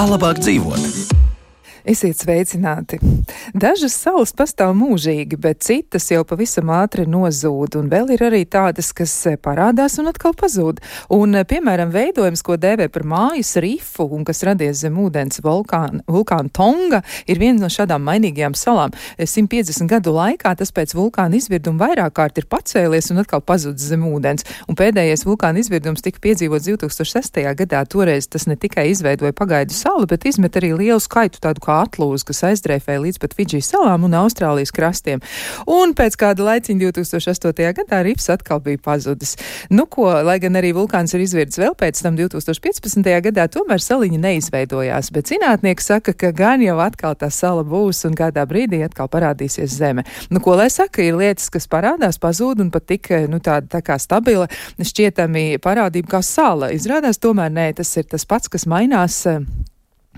Kā labāk dzīvot? Esiet sveicināti! Dažas salas pastāv mūžīgi, bet citas jau pavisam ātri nozūd, un vēl ir arī tādas, kas parādās un atkal pazūd. Un, piemēram, veidojums, ko dēvē par mājas rifu un kas radies zem ūdens vulkāna Tonga, ir viena no šādām mainīgajām salām. 150 gadu laikā tas pēc vulkāna izvirduma vairāk kārt ir pacēlies un atkal pazudis zem ūdens. Un pēdējais vulkāna izvirdums tika piedzīvots 2006. gadā. Toreiz tas ne tikai izveidoja pagaidu salu, bet izmet arī lielu skaitu tādu kā atlūzu, kas aizdreifēja līdz pat Fidži salām un Austrālijas krastiem. Un pēc kāda laiciņa 2008. gadā rifs atkal bija pazudis. Nu ko, lai gan arī vulkāns ir izvirdis vēl pēc tam 2015. gadā, tomēr saliņa neizveidojās, bet zinātnieki saka, ka gan jau atkal tā sala būs un kādā brīdī atkal parādīsies zeme. Nu ko, lai saka, ir lietas, kas parādās, pazūd un pat tik, tāda tā kā stabila, šķietami parādība kā sala. Izrādās tomēr nē, tas ir tas pats, kas mainās,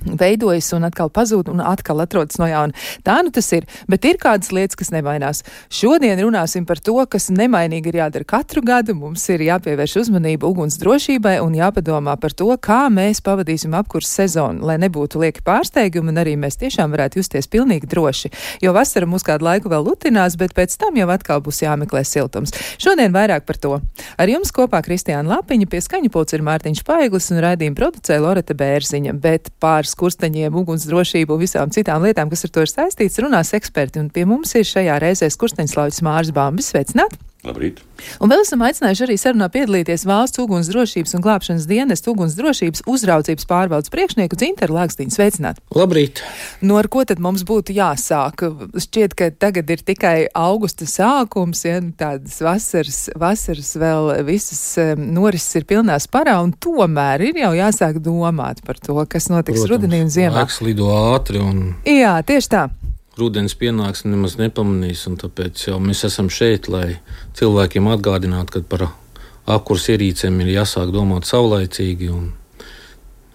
veidojas un atkal pazūd un atkal atrodas no jauna. Tā nu tas ir, bet ir kādas lietas, kas nemainās. Šodien runāsim par to, kas nemainīgi ir jādara katru gadu. Mums ir jāpievērš uzmanība uguns drošībai un jāpadomā par to, kā mēs pavadīsim apkurs sezonu, lai nebūtu lieki pārsteigumi un arī mēs tiešām varētu justies pilnīgi droši. Jo vasara mūs kādu laiku vēl lutinās, bet pēc tam jau atkal būs jāmeklē siltums. Šodien vairāk par to. Ar jums kopā Kristiāna Lapiņa, pie skaņu pults ir Mārtiņš Paiglis un raidījuma producēja Loreta Bērziņa, bet pār skursteņiem, uguns drošību un visām citām lietām, kas ar to ir saistīts, runās eksperti. Un pie mums ir šajā reizē skursteņslauķis Māris Bambis. Sveicināt! Labrīt! Un vēl esam aicinājuši arī sarunā piedalīties Valsts uguns drošības un glābšanas dienesta uguns drošības uzraudzības pārvaldes priekšnieku Dzintaru Lākstīnu. Sveicināt! Labrīt! Nu, ar ko tad mums būtu jāsāk? Šķiet, ka tagad ir tikai augusta sākums, ja tādas vasaras vēl visas norises ir pilnā sparā, un tomēr ir jau jāsāk domāt par to, kas notiks rudenī un ziemā. Laiks lido ātri un... Jā, tieši tā. Rudens pienāks nemaz nepamanīs, un tāpēc jau mēs esam šeit, lai cilvēkiem atgādinātu, ka par apkurs ierīcēm ir jāsāk domāt saulaicīgi un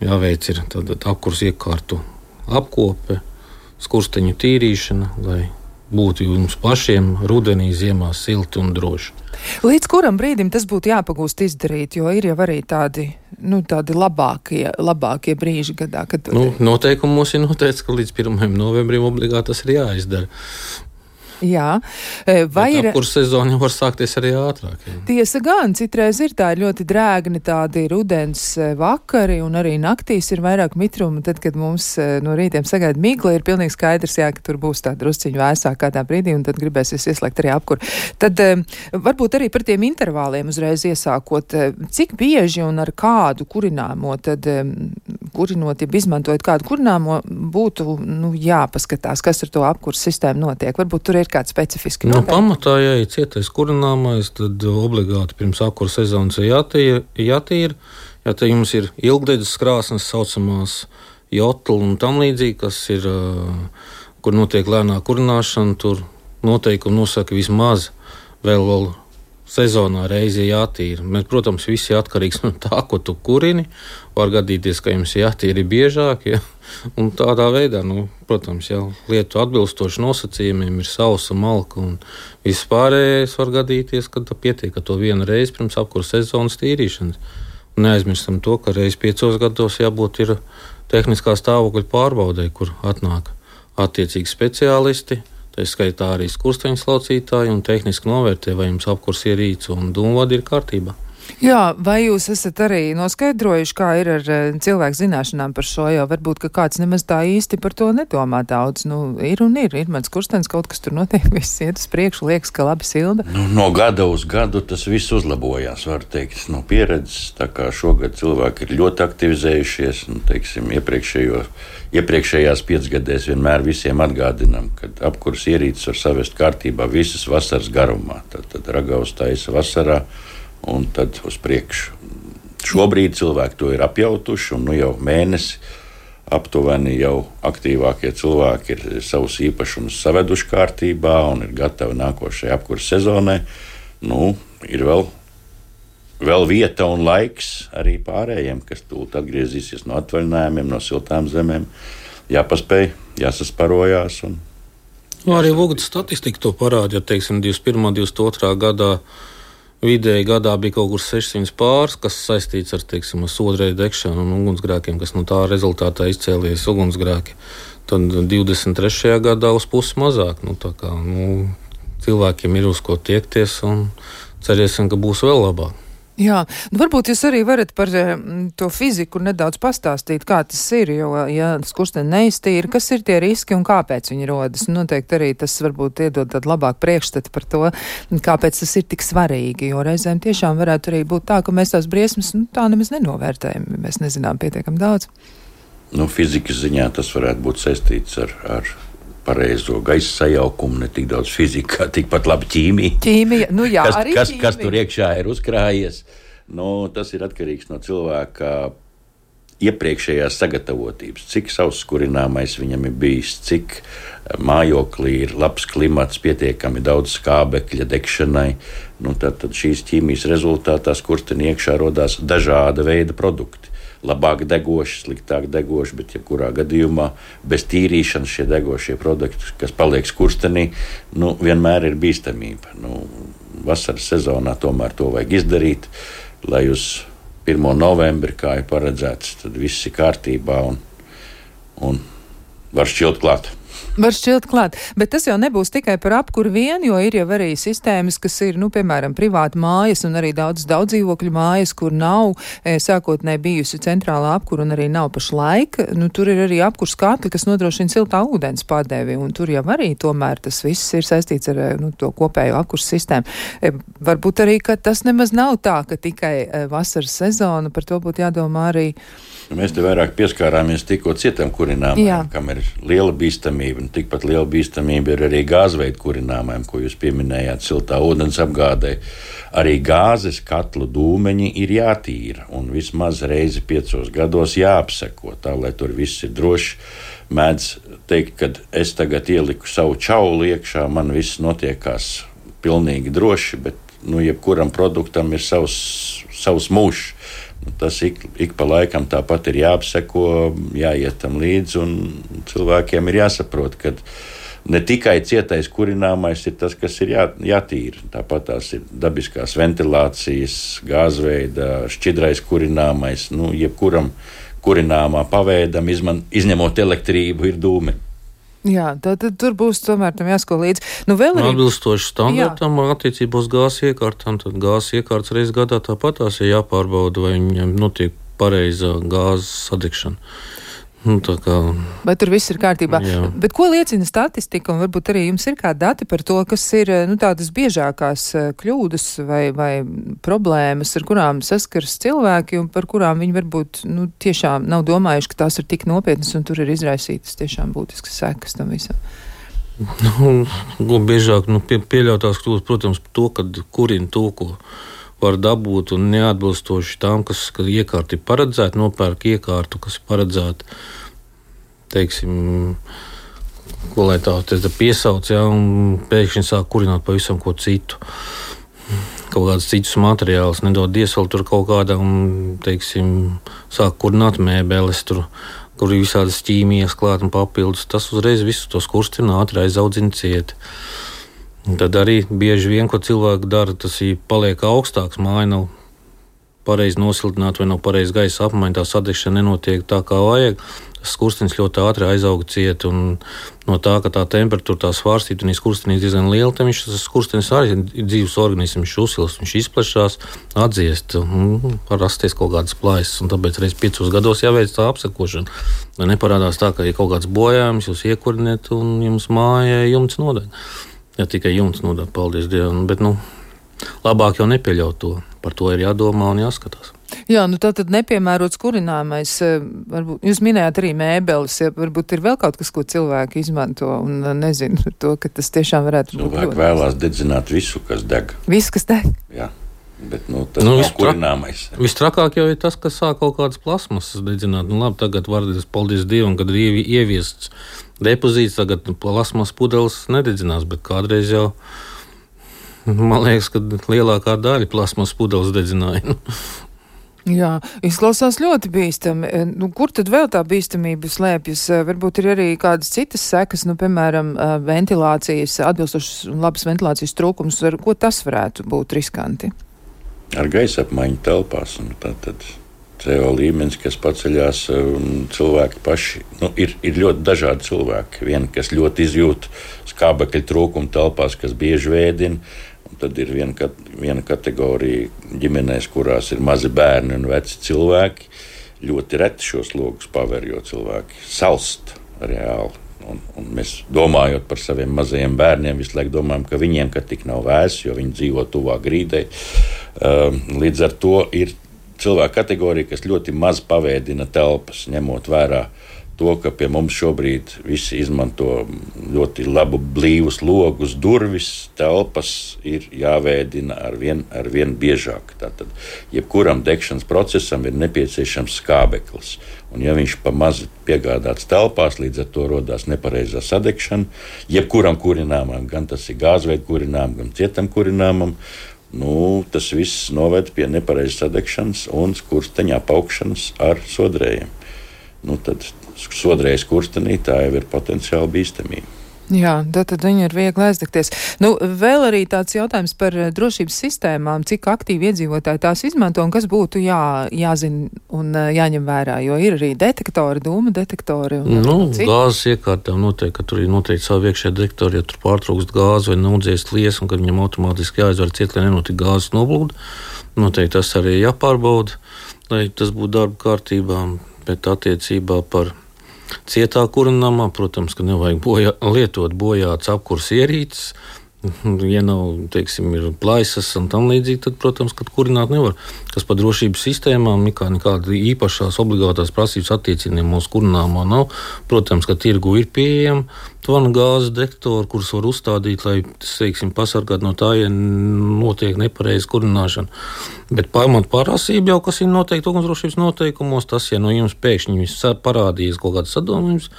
jāveic ir tātad apkurs iekārtu apkope, skursteņu tīrīšana, lai būtu jums pašiem rudenī, ziemā silti un droši. Līdz kuram brīdim tas būtu jāpagūst izdarīt, jo ir jau arī tādi labākie brīži gadā, kad... Noteikumos ir noteikts, ka līdz 1. novembrim obligāti tas ir jāizdara. Jā. Apkurs sezona jau var sākties arī ātrāk. Jā. Tiesa gan, citreiz ir tā ļoti drēgni tādi rudens vakari un arī naktīs ir vairāk mitruma. Tad, kad mums no rītiem sagaida migla, ir pilnīgi skaidrs, ka tur būs tā drusciņu vēsāk kādā brīdī un tad gribēsies ieslēgt arī apkuru. Tad varbūt arī par tiem intervāliem uzreiz iesākot, cik bieži un ar kādu kurināmo, tad kurinot, ja izmantojot kādu kurināmo, būtu jāpaskatās, kas ar to apkurs sistēmu notiek. Varbūt tur ir kāds specifiski noteikti. Pamatā, ja ir cietais kurināmais, tad obligāti pirms apkura sezonas jātīra. Ja te jums ir ilgdedzes krāsnes, saucamās jotli un tam līdzīgi, kas ir, kur notiek lēnā kurināšana, tur noteikumi nosaka vismaz vēl sezonā reizi jātīra. Bet, protams, viss ir atkarīgs no tā, ko tu kurini. Var gadīties, ka jums jātīra biežāk, ja? Un tādā veidā, protams, jau lietu atbilstoši nosacījumiem ir sausa, malka un viss pārējais var gadīties, kad pietiek ar to vienu reizi pirms apkura sezonas tīrīšanas. Un neaizmirstam to, ka reiz 5 gados jābūt ir tehniskā stāvokļa pārbaudē, kur atnāk attiecīgi speciālisti. Tā skaitā arī skursteņu slaucītāji un tehniski novērtē, vai jums apkurs ierīce un dūmvadi ir kārtībā. Jā, vai jūs esat arī noskaidrojuši, kā ir ar cilvēku zināšanām par šo, jo varbūt, ka kāds nemaz tā īsti par to nedomā daudz. Ir mans skurstenis, kaut kas tur notiek, viss iet uz priekšu, liekas, ka labi silda. No gada uz gadu tas viss uzlabojās, var teikt, no pieredzes. Tā kā šogad cilvēki ir ļoti aktivizējušies, teiksim, iepriekšējās 5 gadēs vienmēr visiem atgādinām, ka apkurs ierīces var savest kārtībā visas vasaras garumā. Tad ragavas taisa vasarā un tad uz priekšu. Šobrīd cilvēki to ir apjautuši, un jau mēnesi aptuveni jau aktīvākie cilvēki ir savus īpašumus saveduši kārtībā un ir gatavi nākošajai apkurses sezonai. Ir vēl vieta un laiks arī pārējiem, kas tūlīt atgriezīsies no atvaļinājumiem, no siltām zemēm. Jāpaspēj, jāsasparojās. Arī Vugas statistika to parāda, ja, teiksim, 21. 22. gadā vidēji gadā bija kaut kur 600 pāris, kas saistīts ar, teiksim, sodrēju degšanu un ugunsgrēkiem, kas no tā rezultātā izcēlies ugunsgrēki. Tad 23. gadā uz pusi mazāk. Cilvēkiem ir uz ko tiekties un cerēsim, ka būs vēl labāk. Jā, varbūt jūs arī varat par to fiziku nedaudz pastāstīt, kā tas ir, jo, ja skursteņi neiztīra, kas ir tie riski un kāpēc viņi rodas. Noteikti arī tas varbūt iedod tādu labāku priekšstatu par to, kāpēc tas ir tik svarīgi, jo reizēm tiešām varētu arī būt tā, ka mēs tās briesmas tā nemaz nenovērtējam, mēs nezinām pietiekam daudz. Fizikas ziņā tas varētu būt saistīts ar pareizo gaisa sajaukumu, ne tik daudz fizika, kā tikpat labi ķīmija. Ķīmija, jā, arī ķīmija. Kas tur iekšā ir uzkrājies, tas ir atkarīgs no cilvēka iepriekšējās sagatavotības, cik sauss kurināmais viņam ir bijis, cik mājoklī ir labs klimats, pietiekami daudz skābekļa degšanai. Tad šīs ķīmijas rezultātā skurstenī iekšā rodās dažāda veida produkti. Labāk degoši, sliktāk degoši, bet jebkurā gadījumā bez tīrīšanas šie degošie produkti, kas paliek skurstenī, vienmēr ir bīstamība. Vasaras sezonā tomēr to vajag izdarīt, lai uz 1. novembri, kā ir paredzēts, tad viss ir kārtībā un var šķilt klāt. Var šķilt klāt, bet tas jau nebūs tikai par apkuru vien, jo ir jau arī sistēmas, kas ir, piemēram, privāti mājas un arī daudz dzīvokļu mājas, kur nav sākotnēji bijusi centrālā apkura un arī nav pašlaik. Tur ir arī apkurs katli, kas nodrošina siltā ūdens padevi, un tur jau arī tomēr tas viss ir saistīts ar to kopējo apkurs sistēmu. Varbūt arī, ka tas nemaz nav tā, ka tikai vasaras sezona, par to būtu jādomā arī. Mēs te vairāk pieskārāmies tikko cietam kurināmajam, kam ir liela bīstamība. Tikpat liela bīstamība ir arī gāzveidu kurināmajam, ko jūs pieminējāt, siltā ūdens apgādē. Arī gāzes katlu dūmeņi ir jātīra un vismaz reizi 5 gados jāapseko, tā lai tur viss ir droši. Mēdz teikt, ka es tagad ieliku savu čaulu iekšā, man viss notiekās pilnīgi droši, bet jebkuram produktam ir savs mūžs. Tas ik pa laikam tāpat ir jāapseko, jāiet tam līdzi, un cilvēkiem ir jāsaprot, ka ne tikai cietais kurināmais ir tas, kas ir jātīra. Tāpat tās ir dabiskās ventilācijas, gāzveida, šķidrais kurināmais, jebkuram kurināmā paveidam, izņemot elektrību, ir dūmeņi. Jā, tad tur būs tomēr tam jāsko līdzi. Vēl arī atbilstoši standartam attiecībā uz gāzes iekārtām, tad gāzes iekārtas reiz gadā tāpat tās ir jāpārbauda, vai viņam notiek pareiza gāzes sadegšana. Vai tur viss ir kārtībā? Jā. Bet ko liecina statistika, un varbūt arī jums ir kādi dati par to, kas ir tādas biežākās kļūdas vai problēmas, ar kurām saskaras cilvēki, un par kurām viņi varbūt tiešām nav domājuši, ka tās ir tik nopietnas, un tur ir izraisītas tiešām būtiskas sekas tam visam? Biežāk pieļautās kļūdas, protams, to, kad kurina to, ko var dabūt, un neatbilstoši tām, kas iekārta ir paredzēta, nopērk iekārtu, kas ir paredzēta, teiksim, ko lai tā piesauc, un pēkšņi sāk kurināt pavisam ko citu. Kaut kādus citus materiālus, nedod iesvēl tur kaut kādā, un, teiksim, sāk kurināt mēbeles tur, kur ir visādas ķīmijas klāt un papildus. Tas uzreiz visu to skurstinu ātri aizaudzina cieti. Tad arī bieži vien, ko cilvēki dara, tas ir paliek augstāks, māja nav pareizi nosiltināta vai nav pareizi gaisa apmaiņa, tā sadegšana nenotiek tā, kā vajag. Skurstenis ļoti ātri aizauga cieti, un no tā, ka tā temperatūra tā svārstīta un skurstenis diezgan liela, tad tas skurstenis arī ir dzīves organisms, viņš uzsilst, viņš izplešās, atdziest, var rasties kaut kādas plaisas, un tāpēc reiz 5 gados jāveic tā apsekošana. Lai neparādās tā, ka ir kaut kāds bojājums, jūs iekuriniet un jums mājai jumts nodeg. Ja tikai jumts nodāk, paldies Dievam, bet labāk jau nepieļaut to. Par to ir jādomā un jāskatās. Jā, tātad nepiemērots kurināmais, varbūt jūs minējāt arī mēbeles, ja varbūt ir vēl kaut kas, ko cilvēki izmanto, un nezinu to, ka tas tiešām varētu būt. Cilvēki vēlās dedzināt visu, kas deg. Visu, kas deg? Jā. Bet tas nav kurināmais. Vistrakāk jau ir tas, ka sāk kaut kādas plasmasas dedzināt. Labi, tagad var, paldies Dievam, kad ir ieviests depozīts, tagad plasmas pudeles nededzinās, bet kādreiz jau, man liekas, ka lielākā daļa plasmas pudeles dedzināja. Jā, izklausās ļoti bīstami. Kur tad vēl tā bīstamība slēpjas? Varbūt ir arī kādas citas sekas, piemēram, ventilācijas, atbilstošas un labas ventilācijas trūkums. Ko tas varētu būt riskanti? Ar gaisa apmaiņu telpās. Tātad CO līmenis, kas paceļās, cilvēki paši, ir ļoti dažādi cilvēki. Vieni, kas ļoti izjūt skābekļa trūkumu telpās, kas bieži vēdina, un tad ir viena kategorija ģimenēs, kurās ir mazi bērni un veci cilvēki. Ļoti reti šos logus paver, jo cilvēki salst reāli. Un mēs domājot par saviem mazajiem bērniem, visu laiku domājam, ka viņiem tik nav vēss, jo viņi dzīvo tuvāk grīdai. Līdz ar to ir cilvēku kategorija, kas ļoti maz pavēdina telpas, ņemot vērā to, ka pie mums šobrīd visi izmanto ļoti labu blīvus logus, durvis, telpas ir jāvēdina ar vien biežāk. Tātad, jebkuram degšanas procesam ir nepieciešams skābeklis. Un ja viņš pa maz piegādāts telpās, līdz ar to rodās nepareizā sadegšana, jebkuram kurināmam, gan tas ir gāzveida kurināmam, gan cietam kurināmam, tas viss noved pie nepareizas sadegšanas un skursteņa apaugšanas ar sodrējiem. Tad sodrējas skurstenī tā jau ir potenciāli bīstamība. Jā, tad viņi ir viegli aizdegties. Vēl arī tāds jautājums par drošības sistēmām, cik aktīvi iedzīvotāji tās izmanto un kas būtu jāzina un jāņem vērā, jo ir arī detektori, dūmu detektori. Gāzes iekārtām noteikti, ka tur ir noteikti savi iekšējie detektori, ja tur pārtrūkst gāzi vai naudzies lies, un kad viņam automātiski jāizvar ciet, lai nenotika gāzes noblūda. Noteikti tas arī jāpārbauda, lai tas būtu darba kārtībā, bet attiecībā par cietā kurināmā, protams, ka nevajag lietot bojāts apkurs ierīces. Ja nav, ir plaisas un tam līdzīgi, tad, protams, ka kurināt nevar. Kas par drošības sistēmām, nekāda īpašās obligātās prasības attiecībiem mūsu kurināmā nav. Protams, ka tirgu ir pieejama tvana gāzes detektori, kurus var uzstādīt, lai, pasargāt no tā, ja notiek nepareiza kurināšana. Bet pamat prasība jau, kas ir noteikti ugunsdrošības noteikumos, tas, ja no jums pēkšņi parādījies kaut kāds sadomājums,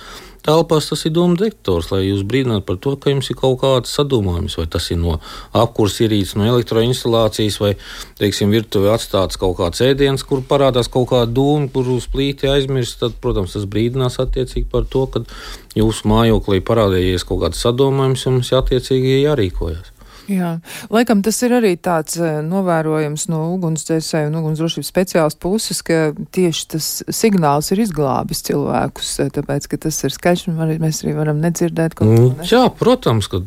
telpās tas ir dūmu detektors, lai jūs brīdinātu par to, ka jums ir kaut kāds sadomājums, vai tas ir no apkurs ierīces, no elektroinstalācijas, vai, virtuvē atstāts kaut kāds ēdiens, kur parādās kaut kāda dūma, kur uz plīti aizmirst, tad, protams, tas brīdinās attiecīgi par to, ka jūsu mājoklī parādījies kaut kāds sadomājums, jums attiecīgi jārīkojas. Jā, laikam tas ir arī tāds novērojams no ugunsdzēsēju un ugunsdrošības speciālistu puses, ka tieši tas signāls ir izglābis cilvēkus, tāpēc, ka tas ir skaļš un mēs arī varam nedzirdēt kaut ko. Jā, protams, ka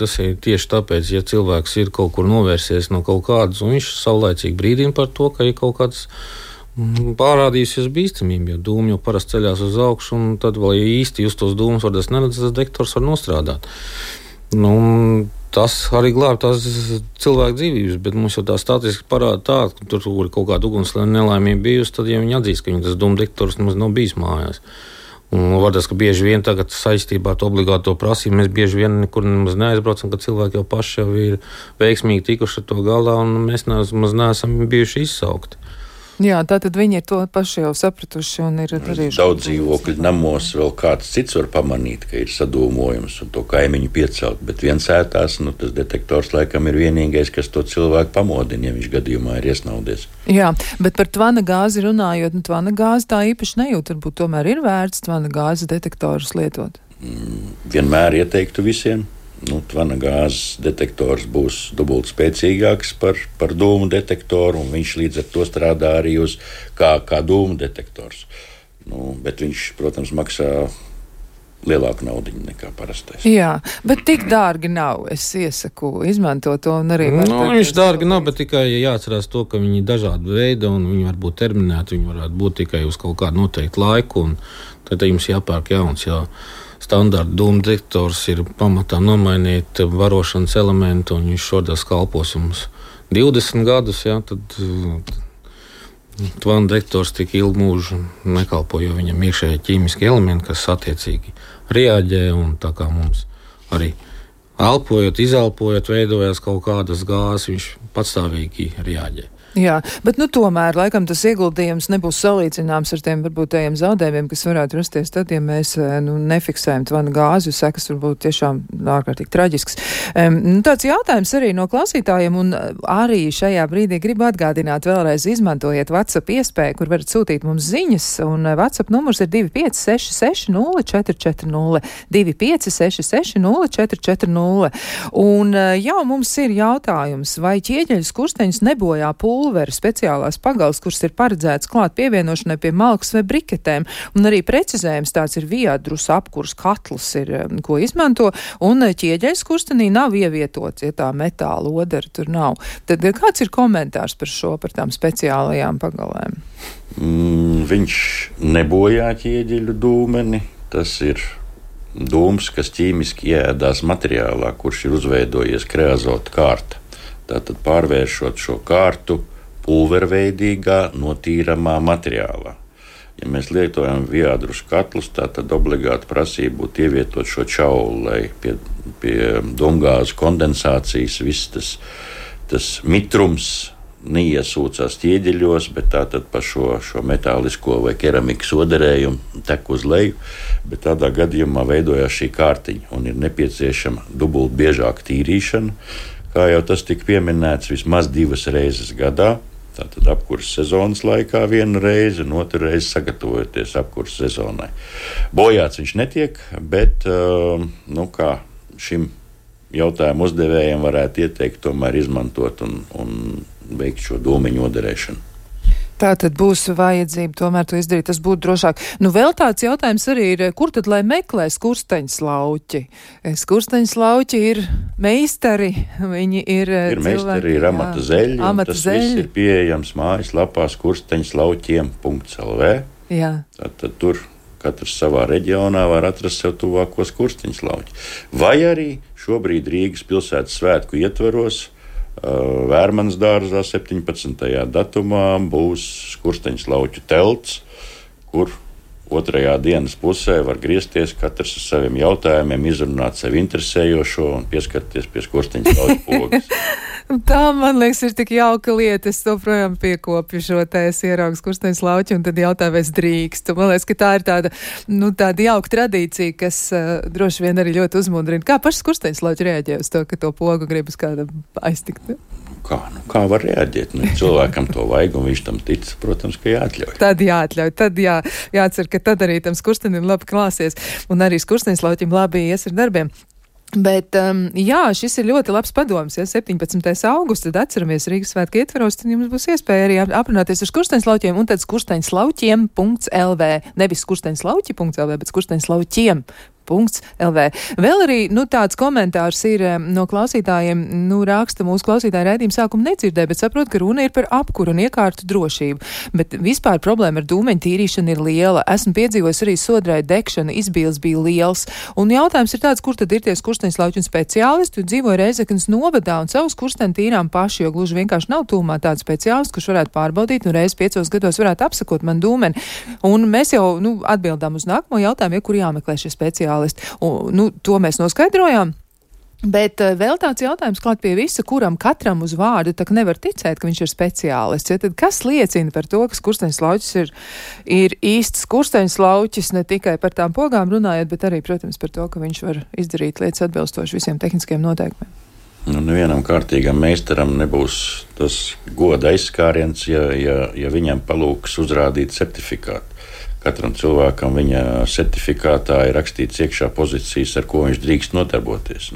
tas ir tieši tāpēc, ja cilvēks ir kaut kur novērsies no kaut kādas, un viņš saulaicīgi brīdina par to, ka ir kaut kāds pārādījusies bīstamība, jo dūmi jau parasti ceļās uz augšu, un tad vēl, ja īsti jūs tos dūmus varat neredz, tas detektors var nostrādāt. Tas arī glāb tās cilvēku dzīvības, bet mums jau tā statistiski parāda tā, ka tur ir kaut kāda uguns nelaimība bijusi, tad ja viņi atzīst, ka viņi tas dūmu detektors nemaz nav bijis mājās. Un varbūt, ka bieži vien tagad saistībā ar obligāto prasību mēs bieži vien nekur nemaz neaizbraucam, kad cilvēki jau paši jau ir veiksmīgi tikuši ar to galā, un mēs nemaz neesam bijuši izsaukti. Jā, tātad viņi ir to paši jau sapratuši un ir darījuši. Daudz dzīvokļu namos vēl kāds cits var pamanīt, ka ir sadūmojums un to kaimiņu piecelt, bet viens ētās, tas detektors laikam ir vienīgais, kas to cilvēku pamodina, ja viņš gadījumā ir iesnaudies. Jā, bet par tvana gāzi runājot, tvana gāzi tā īpaši nejūt, varbūt tomēr ir vērts tvana gāzes detektorus lietot? Vienmēr ieteiktu visiem. Tvana gāzes detektors būs dubult spēcīgāks par dūmu detektoru, un viņš līdz ar to strādā arī uz kā dūmu detektors. Bet viņš, protams, maksā lielāku naudiņu nekā parastais. Jā, bet tik dārgi nav. Es iesaku izmantot to un arī... Viņš dārgi nav, bet tikai jāatcerās to, ka viņi ir dažādi veidi un viņi var būt terminēti, viņi varētu būt tikai uz kaut kādu noteiktu laiku, un tad jums jāpērk jauns, Standarta dūmu detektors ir pamatā nomainīt varošanas elementu, un viņš šodien kalpos jums 20 gadus, tad tvana detektors tik ilgu mūžu nekalpo, jo viņam iekšēji ķīmiski elementi, kas attiecīgi reaģē, un tā kā mums arī elpojot, izelpojot, veidojās kaut kādas gāzes, viņš patstāvīgi reaģē. Jā, bet tomēr laikam tas ieguldījums nebūs salīdzināms ar tiem varbūt tajiem zaudējumiem, kas varētu rasties tad, ja mēs nefiksējam tvanu gāzi, jo sekas varbūt tiešām ārkārtīgi traģisks. Tāds jautājums arī no klausītājiem, un arī šajā brīdī gribu atgādināt vēlreiz izmantojiet WhatsApp iespēju, kur varat sūtīt mums ziņas, un WhatsApp numurs ir 2566 0440 2566 0440. Un jau mums ir jautājums, vai ķieģeļu skursteņus nebojā pulveri speciālās pagals, kuras ir paredzētas klāt pievienošanai pie malkas vai briketēm, un arī precizējums tāds ir viadrus apkurs katls ir, ko izmanto, un ķieģeļu skurstenī nav ievietots, ja tā metāla odara tur nav. Tad kāds ir komentārs par šo, par tām speciālajām pagalēm? Viņš nebojā ķieģeļu dūmeni, tas ir dūms, kas ķīmiski ieēdās materiālā, kurš ir uzveidojies kreazota kārta. Tātad pārvēršot šo kārtu pulverveidīgā, notīramā materiālā. Ja mēs lietojam viadrus katlus, tad obligāti prasība būtu ievietot šo čaulu, lai pie domgāzu kondensācijas viss tas mitrums neiesūcās ķieģeļos, bet tātad pa šo metālisko vai keramikas oderējumu tek uz leju, bet tādā gadījumā veidojās šī kārtiņa un ir nepieciešama dubult biežāka tīrīšana, kā jau tas tika pieminēts, vismaz 2 reizes gadā. Tātad apkurses sezonas laikā 1 reizi un 2 reizi sagatavojoties apkurses sezonai. Bojāts viņš netiek, bet kā šim jautājumu uzdevējiem varētu ieteikt tomēr izmantot un veikt šo dūmeņu oderēšanu. Tā tad būs vajadzība tomēr to izdarīt, tas būtu drošāk. Vēl tāds jautājums arī ir, kur tad lai meklē skursteņslauķi? Skursteņslauķi ir meistari, viņi ir meistari, ir amata zeļi, un tas viss ir pieejams mājaslapā skursteņslauķiem.lv. Jā. Tātad tur katrs savā reģionā var atrast sev tuvāko skursteņslauķi. Vai arī šobrīd Rīgas pilsētas svētku ietvaros Vērmanas dārzā 17. datumā būs skursteņslauķu telts, kur otrajā dienas pusē var griezties katrs ar saviem jautājumiem, izrunāt sevi interesējošo un pieskarties pie skursteņslauķu pogas. Tā, man liekas, ir tik jauka lieta. Es joprojām piekopju šo es ieraugu skursteņslauķi un tad jautāju, vai es drīkstu. Man liekas, ka tā ir tāda jauka tradīcija, kas droši vien arī ļoti uzmundrina. Kā paši skursteņslauķi reaģē uz to, ka to pogu gribas kādam aiztikt? Kā var reaģēt? Cilvēkam to vajag, un viņš tam tic, protams, ka jāatļauj. Tad jāatļauj, tad jācer, ka tad arī tam skurstenim labi klāsies, un arī skursteņslauķim labi ies ar darbiem. Bet, šis ir ļoti labs padoms, 17. augusts, tad atceramies Rīgas svētku ietvaros, tad jums būs iespēja arī aprunāties ar skursteņslauķiem, un tad skursteņslauķiem.lv, nevis skursteņslauķi.lv, bet skursteņslauķiem.lv. Vēl arī, tāds komentārs ir no klausītājiem, raksta mūsu klausītāju raidījumu sākumu nedzirdē, bet saprot, ka runa ir par apkuru un iekārtu drošību. Bet vispār problēma ar dūmeņu tīrīšanu ir liela. Esmu piedzīvojis arī sodrai degšanu, izbīles bija liels. Un jautājums ir tāds, kur tad ir tie skursteņslauķi un speciālisti? Dzīvoju Reizeknas novadā un savu skursteni tīrām paši, jo gluži vienkārši nav tūmā tāds speciālists, kurš varētu pārbaudīt un reiz 5 gados varētu apsakot man dūmeni. Un mēs jau atbildām uz nākamo jautājumu, kur jāmeklē šie speciālisti. Un, to mēs noskaidrojām. Bet vēl tāds jautājums klāt pie visa, kuram katram uz vārdu tā nevar ticēt, ka viņš ir speciālists. Ja, tad kas liecina par to, ka skursteņslauķis ir īsts skursteņslauķis, ne tikai par tām pogām runājot, bet arī, protams, par to, ka viņš var izdarīt lietas atbilstoši visiem tehniskiem noteikumiem? Nevienam kārtīgam meistaram nebūs tas goda aizskāriens, ja viņam palūks uzrādīt certifikātu. Katram cilvēkam viņa certifikātā ir rakstīts iekšā pozīcijas, ar ko viņš drīkst nodarboties.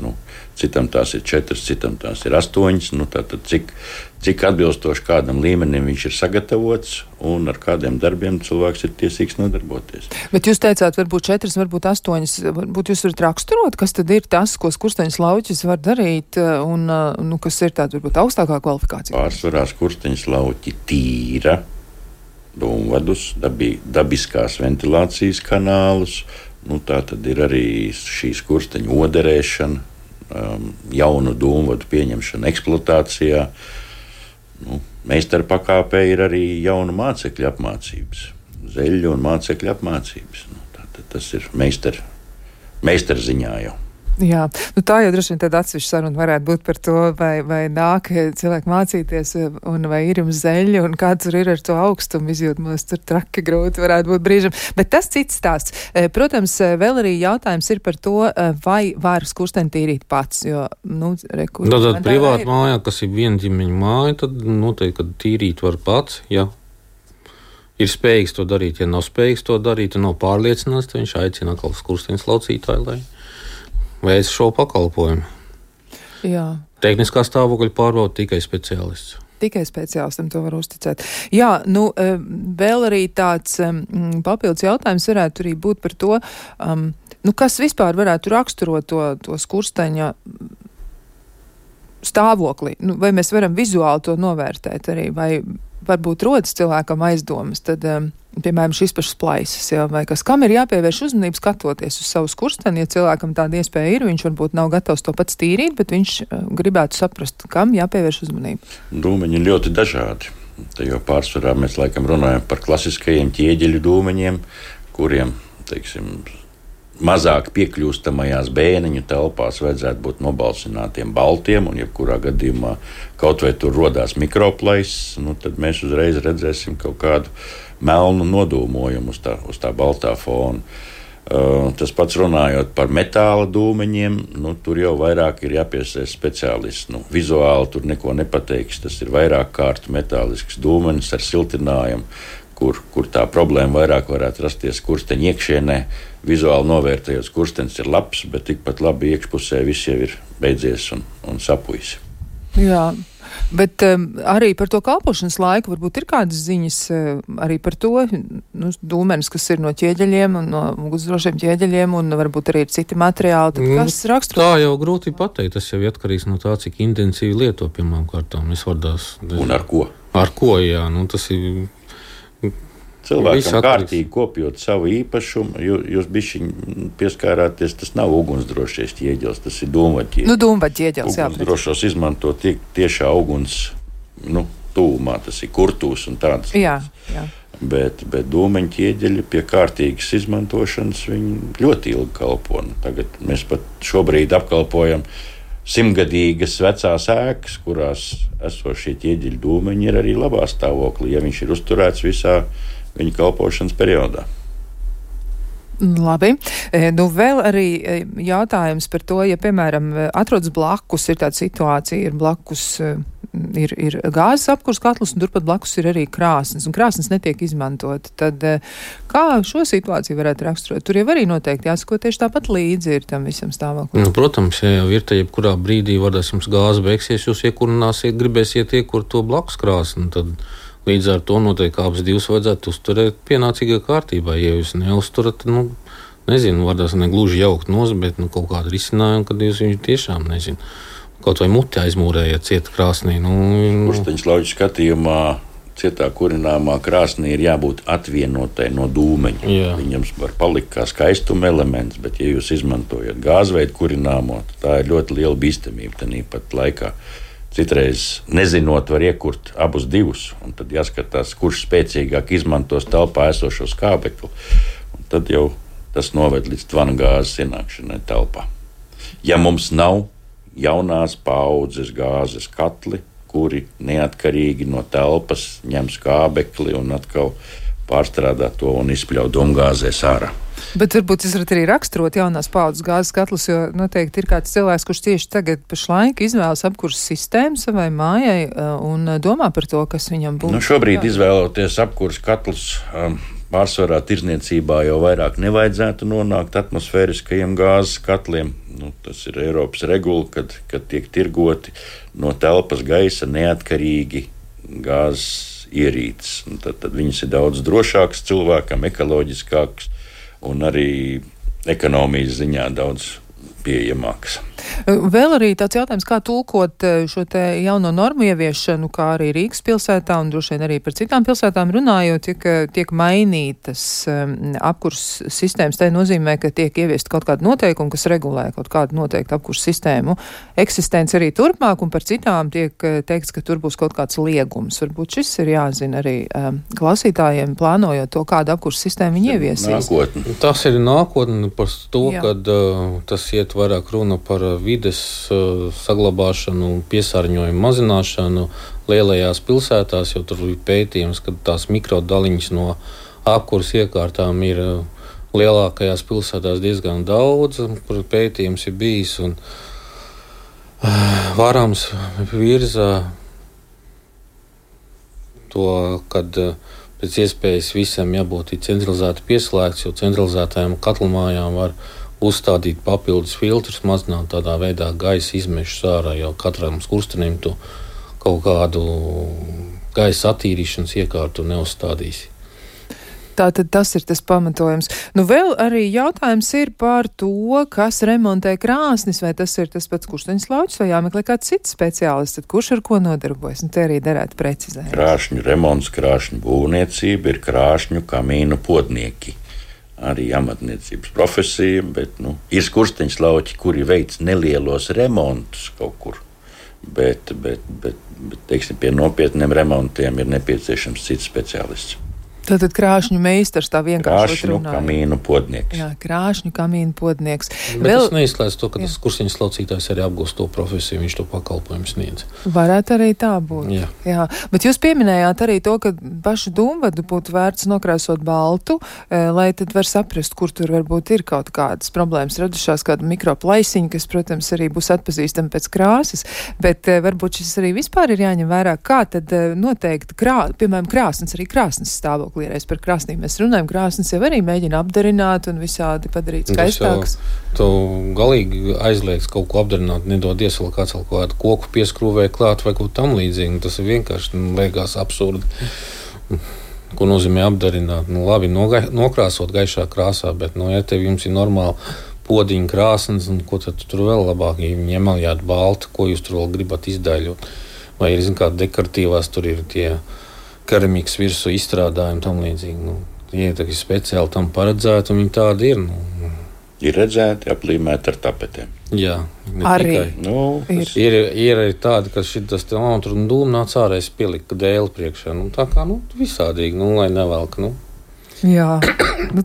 Citam tās ir 4, citam tās ir 8. Tātad cik atbilstoši kādam līmenim viņš ir sagatavots un ar kādiem darbiem cilvēks ir tiesīgs nodarboties. Bet jūs teicāt, varbūt 4, varbūt 8. Varbūt jūs varat raksturot, kas tad ir tas, ko skursteņslauķis var darīt un kas ir tāda varbūt augstākā kvalifikācija? Pārsvarā skursteņslauķi tīra dūmvadus, dabiskās ventilācijas kanālus. Tā tad ir arī šī skursteņu oderēšana, jaunu dūmvadu pieņemšana eksploatācijā. Meistara pakāpē ir arī jaunu mācekļu apmācības, zeļu un mācekļu apmācības. Tātad tas ir meistara ziņā jau. Jā, tā jau droši vien tāda atsevišķa saruna varētu būt par to, vai nāk cilvēki mācīties, un vai ir jums zeļi, un kā tur ir ar to augstumu izjūtamos, tur traki grūti varētu būt brīžam. Bet tas cits stāsts. Protams, vēl arī jautājums ir par to, vai var skursteni tīrīt pats, jo, Tad privāta mājā, kas ir viena ģimeņa māja, tad noteikti, kad tīrīt var pats, jā. Ir spējīgs to darīt, ja nav spējīgs to darīt, un nav pārliecināts, tad viņš aicina atkal skursteņa slaucītāju, lai veic šo pakalpojumu. Jā. Tehniskā stāvokļa pārbauda tikai speciālists. Tikai speciālistam to var uzticēt. Jā, vēl arī tāds papildus jautājums varētu arī būt par to, kas vispār varētu raksturot to skursteņa stāvokli. Vai mēs varam vizuāli to novērtēt arī, vai varbūt rodas cilvēkam aizdomas, tad, piemēram, šis pašs plaisas, vai kas, kam ir jāpievērš uzmanību skatoties uz savu skursteni, ja cilvēkam tāda iespēja ir, viņš varbūt nav gatavs to pats tīrīt, bet viņš gribētu saprast, kam jāpievērš uzmanību. Dūmeņi ir ļoti dažādi. Te jau pārsvarā mēs laikam runājam par klasiskajiem ķieģeļu dūmeņiem, kuriem, mazāk piekļūstamajās bēniņu telpās vajadzētu būt nobalsinātiem baltiem, un jebkurā gadījumā kaut vai tur rodās mikroplaiss, tad mēs uzreiz redzēsim kaut kādu melnu nodūmojumu uz tā baltā fona. Tas pats runājot par metāla dūmeņiem, tur jau vairāk ir jāpiesaista speciālists. Vizuāli tur neko nepateiks, tas ir vairāk kārtu metālisks dūmenis ar siltinājumu, kur tā problēma vairāk varētu rasties skursteņa iekšienē. Vizuāli novērtējot, skurstenis ir labs, bet tikpat labi iekšpusē viss jau ir beidzies un sapujis. Jā, bet arī par to kalpošanas laiku varbūt ir kādas ziņas arī par to, dūmenis, kas ir no ķieģeļiem un no ugunsdrošiem ķieģeļiem, un varbūt arī ir citi materiāli. Tad kas raksturo? Tā jau grūti pateikt, tas jau atkarīgs no tā, cik intensīvi lieto pirmām kārtām. Un ar ko? Ar ko, jā, tas ir... Cilvēkam kārtīgi kopjot savu īpašumu, jūs bišķiņ pieskārāties, tas nav ugunsdrošais ķieģelis, tas ir dūmvaļķieģelis. Dūmvaļķieģelis, jā. Ugunsdrošos izmanto tiešā uguns, tūmā, tas ir kurtūs un tādas. Jā. Bet dūmeņu ķieģeļi pie kārtīgas izmantošanas viņi ļoti ilgi kalpo. Tagad mēs pat šobrīd apkalpojam 100-gadīgas vecās ēkas, kurās esošie ķieģeļu dūmeņi ir arī labā stāvoklī, ja viņš ir uzturēts visā viņa kalpošanas periodā. Labi. Vēl arī jautājums par to, ja, piemēram, atrodas blakus, ir tāda situācija, ir blakus, ir gāzes apkurs katls, un turpat blakus ir arī krāsnes, un krāsnes netiek izmantota. Tad kā šo situāciju varētu raksturot? Tur jau arī noteikti jāsako tieši tāpat līdzi ir tam visam stāvoklim. Protams, ja jau ir, tad jebkurā brīdī varēs jums gāze beigsies, jūs iekurināsiet, gribēsiet iekurt to blakus krāsni, tad līdz ar to noteikti abas divas vajadzētu uzturēt pienācīgā kārtībā. Ja jūs neuzturat, nezinu, varēs negluži jaukt nos, bet kaut kādu risinājumu, kad jūs viņu tiešām, kaut vai muti aizmūrējat cieta krāsnī. Skursteņa slauķu skatījumā cietā kurināmā krāsnī ir jābūt atvienotai no dūmeņa. Jā. Viņam var palikt kā skaistuma elements, bet ja jūs izmantojat gāzveidu kurināmo, tā ir ļoti liela bīstamība tāpat laikā. Citreiz, nezinot, var iekurt abus divus, un tad jāskatās, kurš spēcīgāk izmantos telpā esošo skābekli. Tad jau tas noved līdz tvana gāzes ienākšanai telpā. Ja mums nav jaunās paaudzes gāzes katli, kuri neatkarīgi no telpas ņem skābekli un atkal pārstrādā to un izpļauj dūmgāzēs ārā. Bet varbūt jūs varat arī raksturot jaunās paaudzes gāzes katlus, jo noteikti ir kāds cilvēks, kurš tieši tagad pašlaik izvēlas apkurses sistēmu savai mājai un domā par to, kas viņam būtu. Šobrīd izvēloties apkurses katlus, pārsvarā tirdzniecībā jau vairāk nevajadzētu nonākt atmosfēriskajiem gāzes katliem. Tas ir Eiropas regula, kad tiek tirgoti no telpas gaisa neatkarīgi gāzes ierīces. Tad viņas ir daudz drošākas cilvēkam, ekoloģiskākas un arī ekonomijas ziņā daudz pieejamākas. Vēl arī tāds jautājums, kā tulkot šo te jauno normu ieviešanu, kā arī Rīgas pilsētā un droši vien arī par citām pilsētām runājot, tiek mainītas apkurs sistēmas. Tā nozīmē, ka tiek ieviest kaut kādu noteikumu, kas regulē kaut kādu noteiktu apkurs sistēmu eksistenci arī turpmāk, un par citām tiek teikts, ka tur būs kaut kāds liegums. Varbūt šis ir jāzina arī klausītājiem, plānojot to, kādu apkurs sistēmu viņi ieviesīs. Nākotne. Tas ir nākotne par to, kad tas iet vairāk runa par vides saglabāšanu, piesārņojumu mazināšanu lielajās pilsētās, jo tur ir pētījums, ka tās mikrodaliņas no apkurs iekārtām ir lielākajās pilsētās diezgan daudz, kur pētījums ir bijis, un Vārāms virza to, kad pēc iespējas visam jābūt centralizēti pieslēgts, jo centralizētajām katlamājām var uzstādīt papildus filtrus, mazināt tādā veidā gaisa izmešus ārā, jo katram skurstenim tu kaut kādu gaisa attīrīšanas iekārtu neuzstādīsi. Tātad tas ir tas pamatojums. Vēl arī jautājums ir par to, kas remontē krāsnis, vai tas ir tas pats Kursteņas lauķis, vai jāmeklē kāds cits speciālists, tad kurš ar ko nodarbojas? Te arī derētu precizēt. Krāšņu remonts, krāšņu būvniecība ir krāšņu kamīnu podnieki. Arī amatniecības profesija, bet ir Kursteņas lauķi, kuri veic nelielos remontus kaut kur. Bet teiksim, pie nopietniem remontiem ir nepieciešams cits speciālists. Tātad krāšņu meistars tā vienkārši runāja. Krāšņu kamīnu podnieks. Jā, krāšņu kamīnu podnieks. Bet tas neizslēdz to, ka tas Kursteņas laucītājs arī apgūst to profesiju, viņš to pakalpojumu sniedz. Varētu arī tā būt. Jā. Bet jūs pieminējāt arī to, ka pašu dūmvadu būtu vērts nokrāsot baltu, lai tad var saprast, kur tur varbūt ir kaut kādas problēmas radušās, kāda mikroplaisiņa, kas, protams, arī būs atpazīstama pēc krāsas, bet varbūt šis arī vispār ir jāņem vērā, kā tad noteikti piemēram, krāsnes, arī krāsnes stāvokli. Par krāsnīm mēs runājam, krāsnes jau arī mēģina apdarināt un visādi padarīt skaistāks. Tu galīgi aizliegts kaut ko apdarināt, nedodies vēl kāds kādu koku pieskrūvēja klāt vai kaut tam līdzīgi. Tas ir vienkārši liekas absurdi. Ko nozīmē apdarināt? Labi, nokrāsot gaišā krāsā, bet, ja jums ir normāli podiņa krāsnes, ko tad tur vēl labāk, ja viņi emaljāt baltu, ko jūs tur vēl gribat izdaļot? Vai ir, kāda dekoratīvās tur ir tie keramikas virsū izstrādājumi tam līdzīgi. Ieteki speciāli tam paredzēti, un viņi tādi ir. Ir redzēti, aplīmēti ar tapetēm. Jā, arī tikai. Ir arī tādi, ka šitas tur dūmnāc ārēs pielika dēli priekšā. Tā kā, visādīgi, lai nevelk, Jā,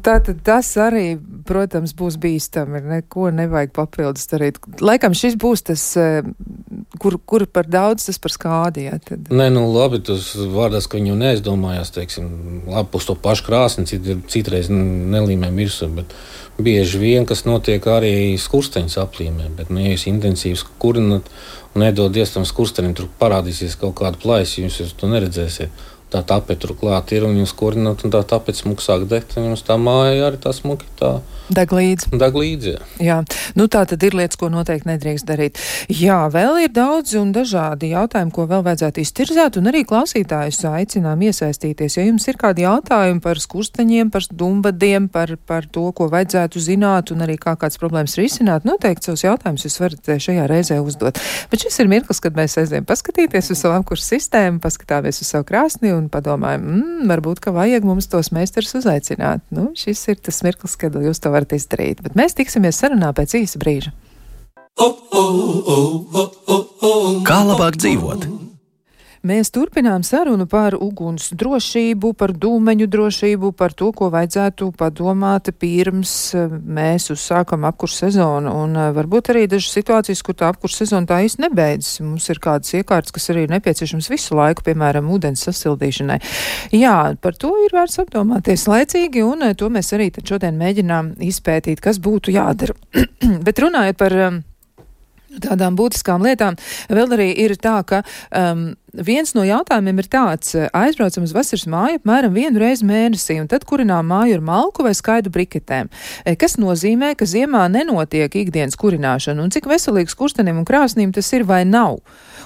tātad tas arī, protams, būs bīstami, neko nevajag papildus darīt. Laikam šis būs tas, kur par daudz, tas par skādi, jā. Tad. Nē, labi, tas vārdās, ka viņi jau neaizdomājās, teiksim, labi, uz to pašu krāsni, citreiz nelīmē virsū, bet bieži vien, kas notiek arī skursteņas aplīmē, bet, ja jūs intensīvs kurinat un nedodies tam skurstenim, tur parādīsies kaut kāda plaisa, jūs to neredzēsiet. Tā tapete tur klāt ir, un jūs kurināt, un tā tapete smuk sāk degt, un jums tā māja arī tā smuki tā deg līdzi, jā. Tā tad ir lietas, ko noteikti nedrīkst darīt. Jā, vēl ir daudz un dažādi jautājumi, ko vēl vajadzētu iztirzēt, un arī klausītājus aicinām iesaistīties. Ja jums ir kādi jautājumi par skursteņiem, par dūmvadiem, par to, ko vajadzētu zināt, un arī kā kāds problēmas risināt, noteikti savus jautājumus jūs varat šajā reizē uzdot. Bet šis ir mirklis, kad mēs aizējam paskatīties uz savu apkursu sistēmu, paskatāmies uz savu krāsni un padomājam, varbūt, ka vajag mums tos meistarus uzaicināt. Šis ir tas mirklis, kad jūs to varat izdarīt. Bet mēs tiksimies sarunā pēc īsa brīža. Kā labāk dzīvot? Mēs turpinām sarunu par uguns drošību, par dūmeņu drošību, par to, ko vajadzētu padomāt pirms mēs uzsākam apkursu sezonu. Un varbūt arī dažas situācijas, kur tā apkursu sezona tā īsti nebeidzas. Mums ir kādas iekārtas, kas arī ir nepieciešams visu laiku, piemēram, ūdens sasildīšanai. Jā, par to ir vērts apdomāties laicīgi, un to mēs arī tad šodien mēģinām izpētīt, kas būtu jādara. Bet runājot par tādām būtiskām lietām, vēl arī ir tā, ka viens no jautājumiem ir tāds: aizbraucam uz vasaras māju apmēram 1 reizi mēnesī, un tad kurinām māju ar malku vai skaidru briketēm, kas nozīmē, ka ziemā nenotiek ikdienas kurināšana, un cik veselīgs kurstenim un krāsnīm tas ir vai nav.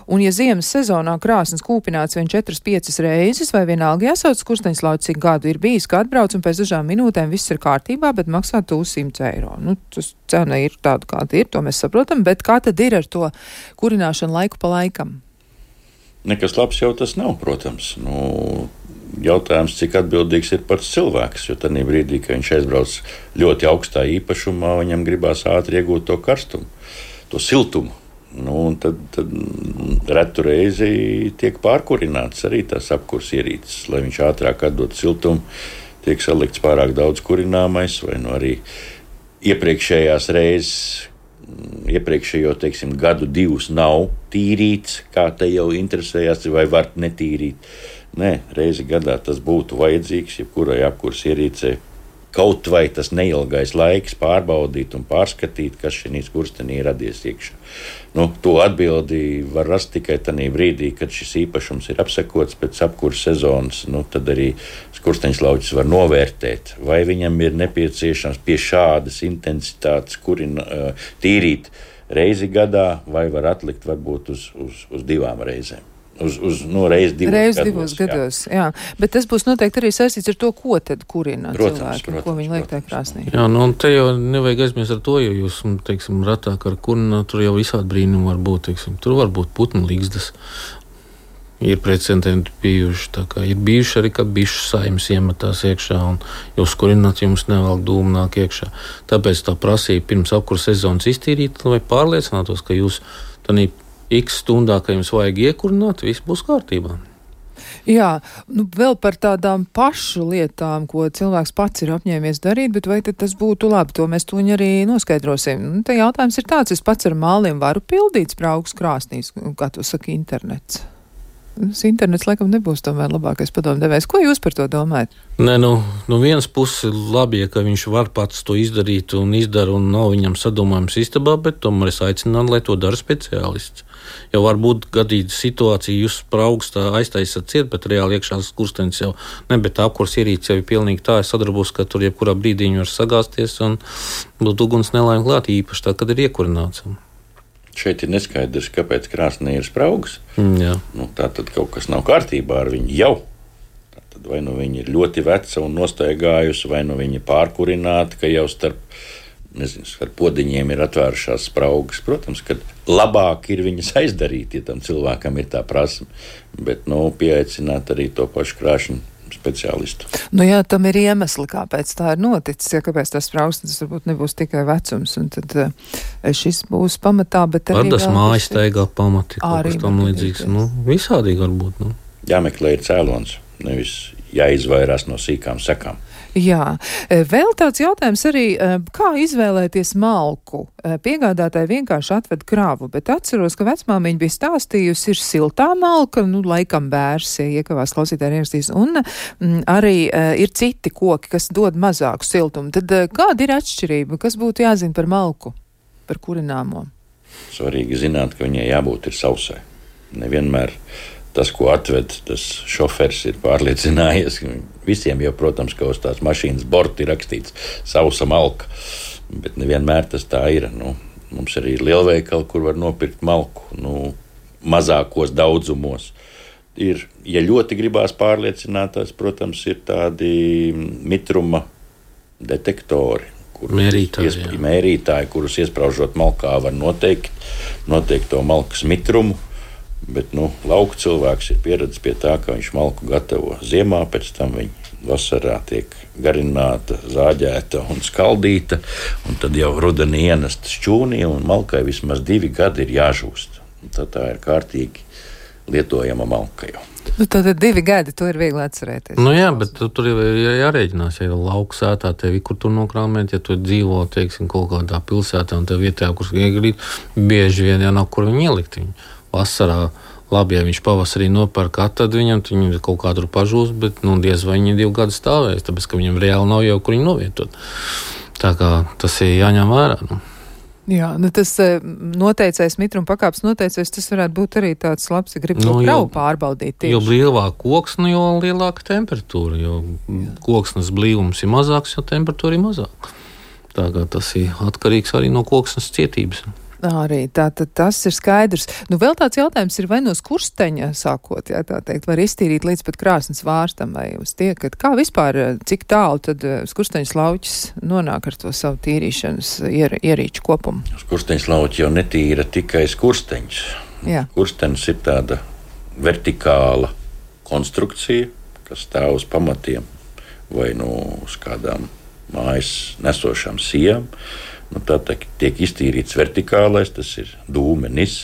Un, ja ziemas sezonā krāsnes kūpināts vien 4-5 reizes, vai vienalga jāsauc Kursteņslauci, cik gadu ir bijis, ka atbrauc un pēc dažām minūtēm viss ir kārtībā, bet maksā 100 eiro. Nu, tas cena ir tāda, kāda ir, to mēs saprotam, bet kā tad ir ar to kurināšanu laiku pa laikam? Nekas labs jau tas nav, protams. Jautājums, cik atbildīgs ir pats cilvēks, jo tajā brīdī, kad viņš aizbrauc ļoti augstā īpašumā, viņam gribās ātri iegūt to karstumu, to siltumu. Tad retu reizi tiek pārkurināts arī tās apkurs ierīces, lai viņš ātrāk atdot siltumu, tiek salikts pārāk daudz kurināmais, vai arī iepriekšējās reizes, iepriekšējo, teiksim, gadu 2 nav tīrīts, kā te jau interesējās, vai var netīrīt. Nē, reizi gadā tas būtu vajadzīgs, jebkurai apkurs ierīcei. Kaut vai tas neilgais laiks pārbaudīt un pārskatīt, kas šīs kurstenī radies iekšā. To atbildi var rast tikai tajā brīdī, kad šis īpašums ir apsekots pēc apkurs sezonas. Tad arī Kursteņslaucis var novērtēt, vai viņam ir nepieciešams pie šādas intensitātes tīrīt reizi gadā, vai var atlikt varbūt uz 2 reizēm. Reiz divos gados. Jā. Bet tas būs noteikti arī saistīts ar to, ko tad kurina cilvēki, ko viņi liek tajā krāsnī. Jā, te jau nevajag aizmirst ar to, jo jūs, teiksim, ratāk ar kurinu, tur jau visādi brīnumi var būt, teiksim, tur var būt putnu līgzdas. Ir precedenti bijuši, tā kā ir bijuši arī, ka bišu saimes iemetās iekšā, un jūs kurināt, jums nevēl dūmu nāk iekšā. Tāpēc tā prasīja pirms apkurs sezonas iztīrīt, lai pārliecinātos, ka jūs tādā X stundā, ka jums vajag iekurināt, viss būs kārtībā. Jā, vēl par tādām pašu lietām, ko cilvēks pats ir apņēmies darīt, bet vai tad tas būtu labi, to mēs tuņi arī noskaidrosim. Te jautājums ir tāds, es pats ar māliem varu pildīt spraugus krāsnīs, kā to saka internets. Internets laikam nebūs tomēr labākais padomdevējs. Ko jūs par to domājat? Nē, vienas puses labi, ka viņš var pats to izdarīt un izdara, un nav viņam sadomājums istabā, bet tomēr es aicinātu, lai to dara speciālists. Jo var būt gadīta situācija, jūs spraugus tā aiztaisat ciet, bet reāli iekšā kurstenis jau bet apkurs ierīce jau ir pilnīgi tā, es sadarbos, ka tur jebkurā brīdī viņi var sagāsties un būt uguns nelaime klāt, īpaši tā, kad ir iekurināts. Šeit ir neskaidrs, kāpēc krāsnī ir spraugas. Jā. Tā tad kaut kas nav kārtībā ar viņu jau. Tad vai viņi ir ļoti veca un nostaigājusi, vai viņi pārkurināti, ka jau starp podiņiem ir atvērušās spraugas. Protams, ka labāk ir viņas aizdarīt, ja tam cilvēkam ir tā prasme, bet pieaicināt arī to pašu krāšņu speciālistu. Jā, tam ir iemesli, kāpēc tā ir noticis, ja kāpēc tas spraugs, tas varbūt nebūs tikai vecums, un tad šis būs pamatā, bet arī tas mājas staigā pamati, kaut kas tam līdzīgs, visādīgi varbūt. Jāmeklē ir cēlons, nevis jāizvairās no sīkām sekām. Jā, vēl tāds jautājums arī, kā izvēlēties malku. Piegādātāji vienkārši atved kravu, bet atceros, ka vecmāmiņa bija stāstījusi, ir siltā malka, laikam bērs, ja iekavās klausītāji ierakstīs, un arī ir citi koki, kas dod mazāku siltumu. Tad kāda ir atšķirība? Kas būtu jāzina par malku, par kurināmo? Svarīgi zināt, ka viņai jābūt ir sausai. Nevienmēr tas, ko atved, tas šofers ir pārliecinājies. Visiem jau, protams, ka uz tās mašīnas borta ir rakstīts sausa malka, bet nevienmēr tas tā ir. Mums arī ir lielveikali, kur var nopirkt malku, mazākos daudzumos. Ja ļoti gribās pārliecināties, protams, ir tādi mitruma detektori, mērītāji, kurus iespraužot malkā var noteikt to malkas mitrumu. Bet lauku cilvēks ir pieredzējis pie tā, ka viņš malku gatavo ziemā, pēc tam viņa vasarā tiek garināta, zāģēta un skaldīta, un tad jau rudenī ienesta šķūnī, un malkai vismaz 2 gadi ir jāžūst. Tad tā ir kārtīgi lietojama malka jau. Tad 2 gadi, to ir viegli atcerēties. Jā, bet tur jau ir jārēķinās, ja ir lauku sētā tevi, kur tur nokrāmēt, ja tu dzīvo, teiksim, kaut kādā pilsētā un tev vietā, kur iegrīt, bieži vien jau nav, kur viņu ielikt viņu. Vasarā labi, ja viņš pavasarī nopērk, tad viņam kaut kā tur pažūst, bet diez vai viņi 2 gadu stāvēs, tāpēc, ka viņam reāli nav jau, kur viņu novietot. Tā kā tas ir jāņem vērā. Jā, tas noteicais mitruma pakāpes noteicais, tas varētu būt arī tāds labs, ja grib to kravu pārbaudīt tieši. Jo blīvāk koksne, jo lielāka temperatūra, jo koksnes blīvums ir mazāks, jo temperatūra ir mazāka. Tā kā tas ir atkarīgs arī no koksnes cietības. Arī tātad tas ir skaidrs. Nu, vēl tāds jautājums ir, vai no skursteņa sākot, jā, tā teikt, var iztīrīt līdz pat krāsnes vārstam, vai jūs tiekat, kā vispār, cik tālu tad skursteņa slauķis nonāk ar to savu tīrīšanas ierīču kopumu? Skursteņa slauķi jau netīra tikai skursteņš. Jā. Skursteņš ir tāda vertikāla konstrukcija, kas stāv uz pamatiem vai uz kādām mājas nesošām sijām. Tā tiek iztīrīts vertikālais, tas ir dūmenis,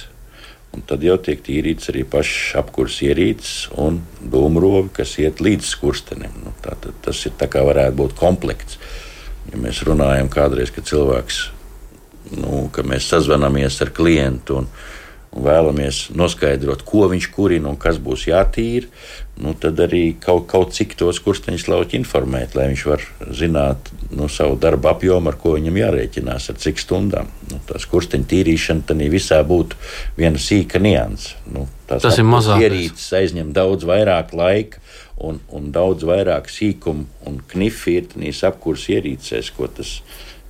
un tad jau tiek tīrīts arī pašs apkurs ierīces un dūmrovi, kas iet līdz skurstenim. Tas ir tā kā varētu būt komplekts. Ja mēs runājam kādreiz, ka cilvēks, ka mēs sazvanamies ar klientu un vēlamies noskaidrot, ko viņš kurina un kas būs jātīra, tad arī kaut cik to skursteņa slauķi informēt, lai viņš var zināt savu darba apjomu, ar ko viņam jārēķinās, ar cik stundām. Tā skursteņa tīrīšana tad visā būtu viena sīka nianse. Tas ir mazāk. Ierīces aizņem daudz vairāk laika un daudz vairāk sīkumu un knifi ir tādīs apkurs ierīcēs, ko tas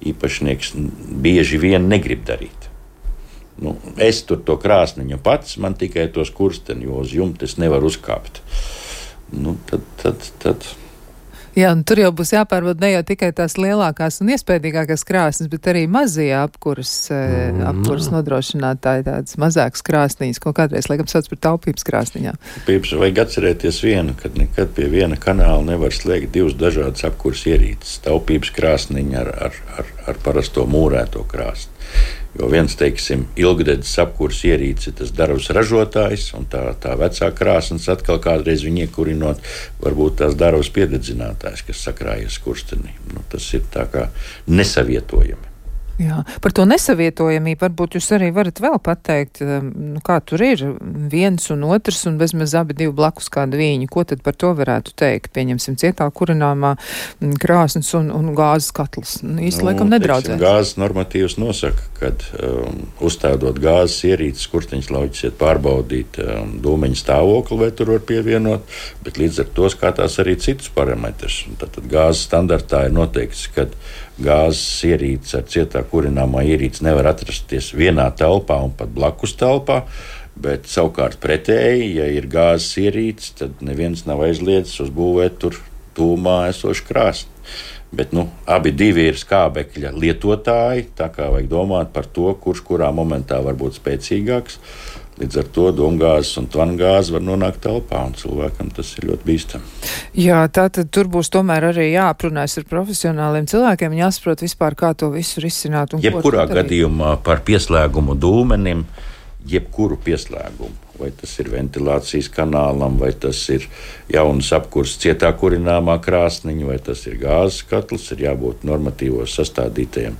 īpašnieks bieži vien negrib darīt. Es tur to krāsniņu pats, man tikai to skursteni, jo uz jumta es nevaru uzkāpt. Tad. Jā, un tur jau būs jāpārvada ne jau tikai tās lielākās un iespējīgākās krāsnes, bet arī mazie apkuras nodrošinātāji, tādas mazākas krāsniņas, ko kādreiz, laikam, sauc par taupības krāsniņām. Vajag atcerēties vienu, kad nekad pie viena kanāla nevar slēgt divas dažādas apkuras ierīces. Taupības krāsniņa ar parasto mūrēto krāsni. Jo viens, teiksim, ilgdedzes apkurs ierīce ir tas darbs ražotājs, un tā vecā krāsnes atkal kādreiz viņu iekurinot, varbūt tās darbs piededzinātājs, kas sakrājies skurstenī. Tas ir tā kā nesavietojami. Jā, par to nesavietojamību varbūt jūs arī varat vēl pateikt, kā tur ir viens un otrs un bezmaz abi divi blakus kāda vīņa. Ko tad par to varētu teikt? Pieņemsim cietā kurināmā krāsnes un gāzes katls. Īsti laikam nedraudzēs. Gāzes normatīvs nosaka, kad uzstādot gāzes ierīces, skursteņa slauķis iet pārbaudīt dūmeņa stāvokli, vai tur var pievienot, bet līdz ar to skatās arī citus parametrus. Tātad gāzes standartā ir noteikts, kad gāzes ierīce ar cietā kurināmā ierīce nevar atrasties vienā telpā un pat blakus telpā, bet savukārt pretēji, ja ir gāzes ierīce, tad neviens nav aizliedzis uzbūvēt tur tūmā esošu krāsni. Bet abi divi ir skābekļa lietotāji, tā kā vajag domāt par to, kurš kurā momentā var būt spēcīgāks. Līdz ar to domgāzes un tvangāzes var nonākt telpā, un cilvēkam tas ir ļoti bīstami. Jā, tātad tur būs tomēr arī jāaprunājas ar profesionāliem cilvēkiem, jāsaprot vispār, kā to visu risināt. Jebkurā gadījumā par pieslēgumu dūmenim, jebkuru pieslēgumu, vai tas ir ventilācijas kanālam, vai tas ir jaunas apkurs cietā kurināmā krāsniņa, vai tas ir gāzes katls, ir jābūt normatīvos sastādītajiem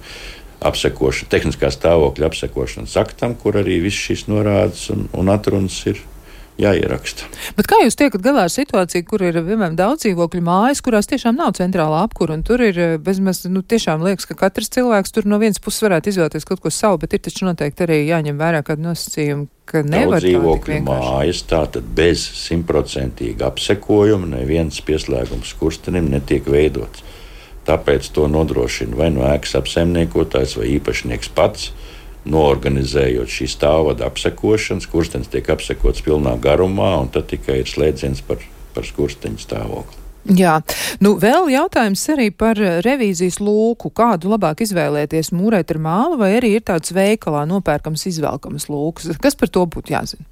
tehniskā stāvokļa apsekošanas aktam, kur arī viss šīs norādes un atrunas ir jāieraksta. Bet kā jūs tiekat galā ar situāciju, kur ir, piemēram, daudz dzīvokļu mājas, kurās tiešām nav centrālā apkura, un tur ir bezmaz, tiešām liekas, ka katrs cilvēks tur no vienas puses varētu izvēlēties kaut ko savu, bet ir taču noteikti arī jāņem vērā kādu nosacījumu, ka nevar daudz dzīvokļu mājas, tātad bez 100% apsekojuma neviens pieslēgums skurstenim netiek veidots. Tāpēc to nodrošina vai ēkas apsaimniekotājs vai īpašnieks pats, noorganizējot šī stāvvada apsekošanu. Skurstenis tiek apsekots pilnā garumā, un tad tikai ir slēdziens par skursteņa stāvokli. Jā, vēl jautājums arī par revīzijas lūku. Kādu labāk izvēlēties, mūrēt ar mālu, vai arī ir tāds veikalā nopērkams izvelkamas lūkas? Kas par to būtu jāzina?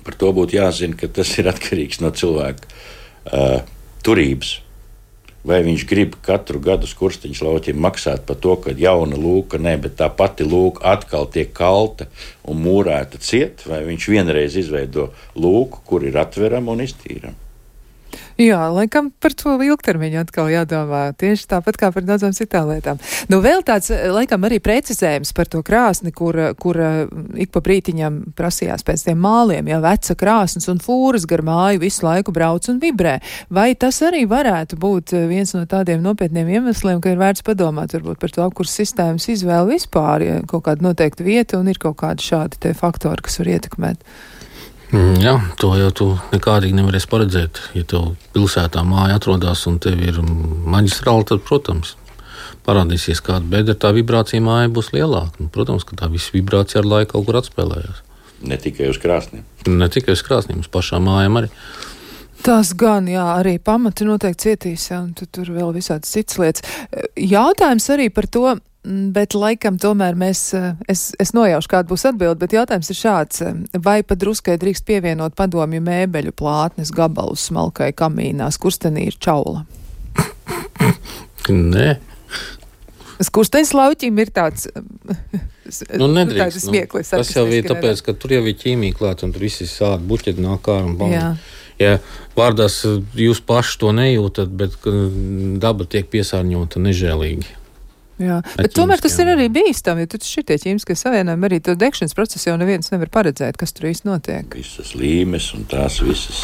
Par to būtu jāzina, ka tas ir atkarīgs no cilvēka turības. Vai viņš grib katru gadu skursteņa slauķim maksāt par to, ka jauna lūka, bet tā pati lūka atkal tiek kalta un mūrēta ciet, vai viņš vienreiz izveido lūku, kur ir atverama un iztīrama? Jā, laikam par to ilgtermiņu atkal jādomā, tieši tāpat kā par daudzām citām lietām. Vēl tāds, laikam, arī precizējums par to krāsni, kur ik pa brītiņam prasījās pēc tiem māliem, ja veca krāsnes un fūras gar māju visu laiku brauc un vibrē. Vai tas arī varētu būt viens no tādiem nopietniem iemesliem, ka ir vērts padomāt varbūt par to apkurs sistēmas izvēli vispār, ja kaut kāda noteikta vieta un ir kaut kādi šādi te faktori, kas var ietekmēt? Jā, to jau tu nekādīgi nevarēsi paredzēt. Ja tev pilsētā māja atrodas un tev ir maģistrāli, tad, protams, parādīsies kāda bedra, tā vibrācija mājā būs lielāka. Nu, protams, ka tā visa vibrācija ar laiku kaut kur atspēlējās. Ne tikai uz krāsniem. Ne tikai uz krāsniem, uz pašām mājām arī. Tas gan, jā, arī pamati noteikti cietīs, jā, un tur vēl visādas citas lietas. Jautājums arī par to, bet laikam tomēr es nojaušu, kāda būs atbilde, bet jautājums ir šāds, vai pa druskai drīkst pievienot padomju mēbeļu plātnes gabalus smalkai kamīnā, skurstenī ir čaula? Nē. Skursteņas lauķim ir tāds nedrīkst. Smieklis. Tas jau ir tāpēc, ka tur jau ir ķīmija klāt, un tur visi sādi buķeti nāk ārā un bam. Ja vārdās jūs paši to nejūtat, bet daba tiek piesārņota nežēlīgi. Jā, bet tomēr tas ir arī bīstami, jo tur šitie ķīmiskie savienojumi, arī to degšanas procesu jau neviens nevar paredzēt, kas tur īsti notiek. Visas līmes un tās visas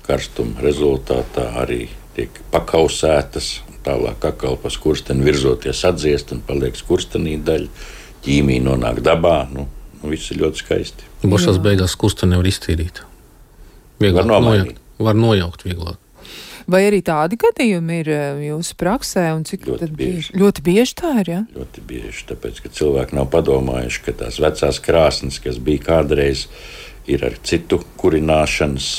karstuma rezultātā arī tiek pakausētas, tālāk atkal pa skursteni virzoties atdziest un paliek skurstenī daļa, ķīmija nonāk dabā, viss ir ļoti skaisti. Bošās beigās skursteni nevar iztīrīt. Var nojaukt vieglāk. Vai arī tādi gadījumi ir jūsu praksē, un cik ļoti bieži. Ļoti bieži tā ir, jā? Ļoti bieži, tāpēc, ka cilvēki nav padomājuši, ka tās vecās krāsnes, kas bija kādreiz, ir ar citu kurināšanas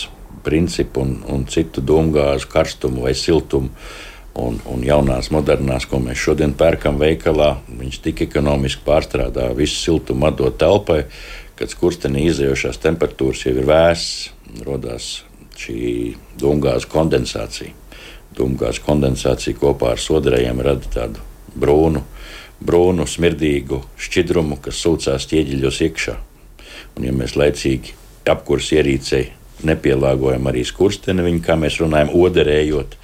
principu un citu dūmgāzu karstumu vai siltumu, un jaunās, modernās, ko mēs šodien pērkam veikalā, viņš tik ekonomiski pārstrādā visu siltumu atdot telpai, kad skurstenī izējošās temperatūras jau ir vēsas, rodās šī dūmgāzu kondensācija. Dūmgāzu kondensācija kopā ar sodarējiem rada tādu brūnu, smirdīgu šķidrumu, kas sūcās ķieģeļos iekšā. Un ja mēs laicīgi apkurs ierīcei nepielāgojam arī skursteni, viņu, kā mēs runājam, oderējot,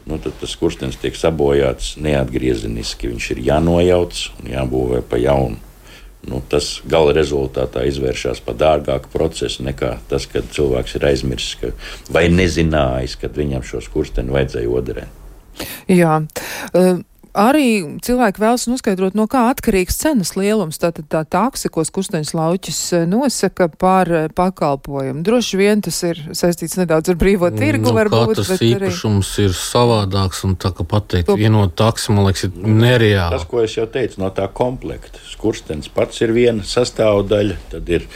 tad tas skurstenis tiek sabojāts neatgriezeniski. Viņš ir jānojauc un jābūvē pa jaunu. Tas gala rezultātā izvēršas par dārgāku procesu nekā tas, kad cilvēks ir aizmirsis vai nezinājis, kad viņam šo skursteni vajadzēja oderēt. Jā. Arī cilvēki vēlas noskaidrot, no kā atkarīgs cenas lielums. Tātad tā taksa, ko skursteņas lauķis nosaka par pakalpojumu. Droši vien tas ir saistīts nedaudz ar brīvo tirgu, varbūt. Katrs īpašums ir savādāks, un tā kā pateikt vienot taksu, man liekas, ir nereāli. Tas, ko es jau teicu, no tā komplekta. Skurstenis pats ir viena sastāvdaļa, tad ir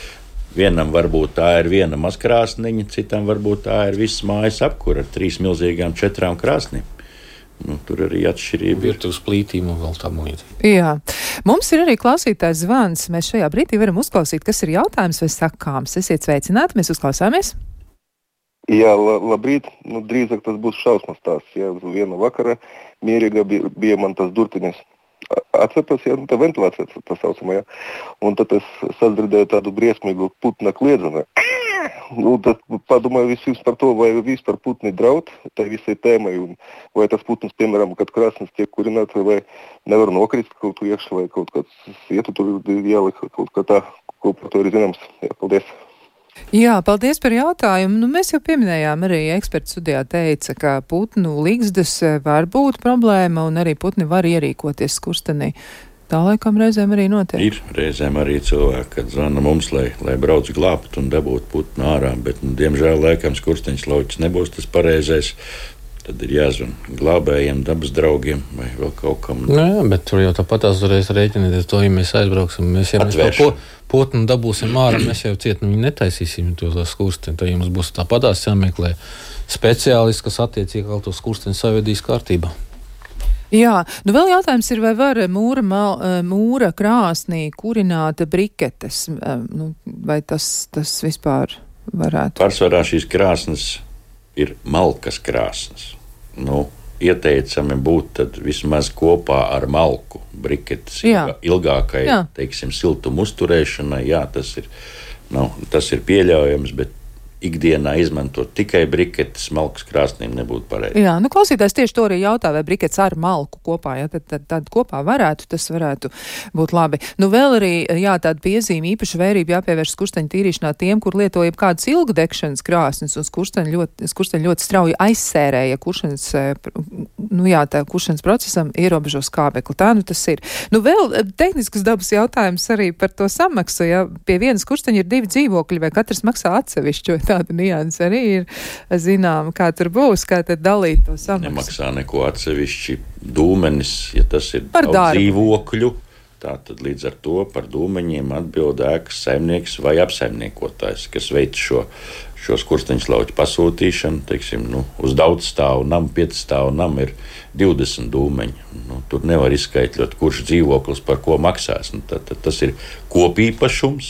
vienam varbūt tā ir viena mazkrāsniņa, citam varbūt tā ir viss mājas apkura ar 3 milzīgām 4 krāsnīm. Tur arī atšķirība ir. Uz plītīm un vēl tam līdzīgi. Jā. Mums ir arī klausītājs zvans. Mēs šajā brīdī varam uzklausīt, kas ir jautājums vai sakāms. Esiet sveicināti, mēs uzklausāmies. Jā, labrīt. Drīzāk tas būs šausmas stāsts. Jā, viena vakara mierīga bija man tas durtiņas. Atceros, tā ventilācija tā saucamā, jā. Un tad es sadzirdēju tādu briesmīgu putna kliedzenu. Tad padomāju visus par to, vai vispār putni draud tai visai tēmai, un vai tas putns, piemēram, kad krāsnes tiek kurināts, vai nevar nokrist kaut kur iekšā, vai kaut kāds ietu tur jālika, kaut kā tā, ko par to ir zināms. Jā, paldies. Jā, paldies par jautājumu. Mēs jau pieminējām, arī eksperts studijā teica, ka putnu ligzdas var būt problēma, un arī putni var ierīkoties skurstenī. Tā laikam reizēm arī notiek. Ir reizēm arī cilvēki, kad zvana mums, lai brauc glābt un dabūt putnu ārā, bet, diemžēl, laikam skursteņas lauķis nebūs tas pareizais. Tad ir jāzvan glābējiem, dabas draugiem vai vēl kaut kam. Jā, bet tur jau tāpat uzreiz rēķinieties to, ja mēs aizbrauksim. Mēs putnu dabūsim ārā, mēs jau cietni viņu netaisīsim to skursteni. Tad jums būs tāpatās jāmeklē speciālisti, kas attiecīgi to skursteni savedīs kārtībā. Jā, vēl jautājums ir, vai var mūra krāsnī kurināt briketes, vai tas vispār varētu? Pārsvarā šīs krāsnes ir malkas krāsnes. Ieteicami būt tad vismaz kopā ar malku briketes ilgākai, teiksim, siltumu uzturēšanai. Jā, tas ir pieļaujams, bet ikdienā izmantot tikai briketes, malkas krāsnīm nebūtu pareizi. Jā, klausītājs tieši to arī jautā, vai briketes ar malku kopā, ja tad kopā tas varētu būt labi. Vēl arī, tāda piezīme, īpaši vērība jāpievērš skursteņu tīrīšanā tiem, kur lieto jebkādas ilgdegšanas krāsnes, un skursteņi ļoti strauji aizsērēja kuršanas, tā kuršanas procesam ierobežo skābekli. Tā tas ir. Vēl tehniskas dabas jautājums arī par to samaksu, ja pie vienas skursteņa ir 2 dzīvokļi, vai katrs maksā atsevišķi, tāda nianse arī ir zinām, kā tur būs, kā tad dalīt to samaksu. Nemaksā neko atsevišķi dūmenis, ja tas ir par dzīvokļu. Tātad līdz ar to par dūmeņiem atbild ēkas saimnieks vai apsaimniekotājs, kas veic šo skursteņslauķu pasūtīšanu. Teiksim, uz daudzstāvu namu, 5-stāvu namu ir 20 dūmeņi. Tur nevar izskaitļot, kurš dzīvoklis par ko maksās. Tad tas ir kopīpašums.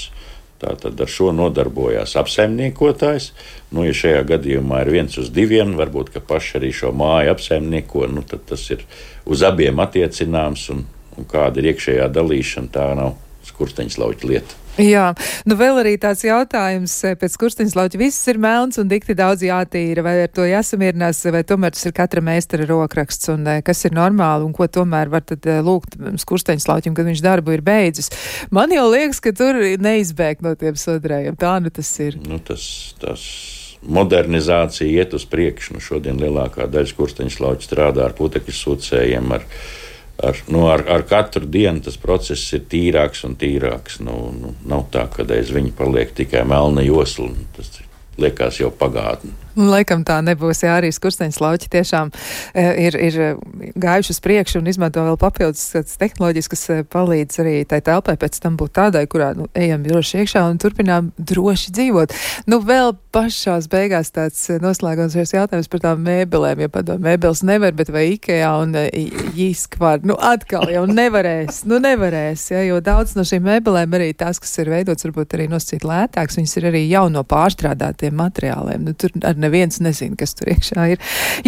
Tātad ar šo nodarbojās apsaimniekotājs. Ja šajā gadījumā ir 1/2, varbūt ka paši arī šo māju apsaimnieko, tad tas ir uz abiem attiecināms un kāda ir iekšējā dalīšana, tā nav skursteņslauķa lieta. Jā, vēl arī tāds jautājums, pēc skursteņslauķa viss ir melns un dikti daudz jātīra, vai ar to jāsamierinās, vai tomēr tas ir katra meistara rokraksts, un kas ir normāli, un ko tomēr var tad lūgt skursteņslauķim, kad viņš darbu ir beidzis. Man jau liekas, ka tur neizbēgt no tiem sodrējiem, tā tas ir. Tas modernizācija iet uz priekšu, šodien lielākā daļa skursteņslauķu strādā ar putekļu sūcējiem, ar katru dienu tas process ir tīrāks un tīrāks. Nav tā, ka aiz viņa paliek tikai melna josla. Tas liekas jau pagātne. Laikam tā nebūs, jā, arī skursteņslauķi tiešām ir gājuši uz priekšu un izmanto vēl papildus tehnoloģijas, kas palīdz arī tai telpai pēc tam būt tādai, kurā ejam droši iekšā un turpinām droši dzīvot. Vēl pašās beigās tāds noslēgošais jautājums par tām mēbelēm, ja padomā, mēbeles nevar, bet vai Ikea un Jiskvar, atkal jau nevarēs, ja, jo daudz no šīm mēbelēm arī tās, kas ir veidots, varbūt arī nosacīt lētāks, viņas ir arī jau no pārstrādātiem materiāliem. Tur neviens nezina, kas tur iekšā ir.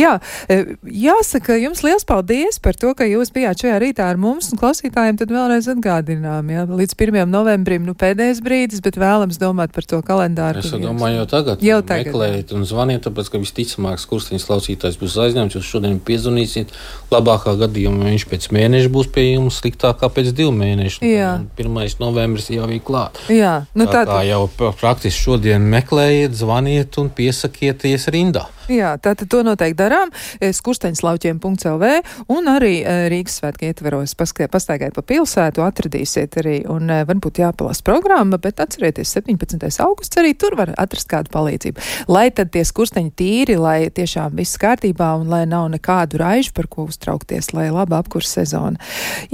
Jā, jāsaka, jums liels paldies par to, ka jūs bijāt šajā rītā ar mums, un klausītājiem tad vēlreiz atgādinām, jā, līdz 1. novembrim, pēdējais brīdis, bet vēlams domāt par to kalendāru. Es domāju, jau tagad meklējiet un zvaniet, tāpēc, ka visticamāk skursteņslaukītājs būs aizņemts, jūs šodien piezvanīsiet, labākā gadījumā viņš pēc mēneša būs pie jums, sliktākā pēc 2 mēnešu. 1. novembris jau ir klāt. Jā, tā jau praktiski šodien meklējiet, zvaniet un piesakiet rindā. Jā, tātad to noteikti darām. Skursteņslauķiem.lv un arī Rīgas svētku ietveros pastaigājot pa pilsētu, atradīsiet arī un varbūt jāpalasa programma, bet atcerieties 17. augusts arī tur var atrast kādu palīdzību. Lai tad tie skursteņi tīri, lai tiešām viss kārtībā un lai nav nekādu raižu, par ko uztraukties, lai laba apkurs sezona.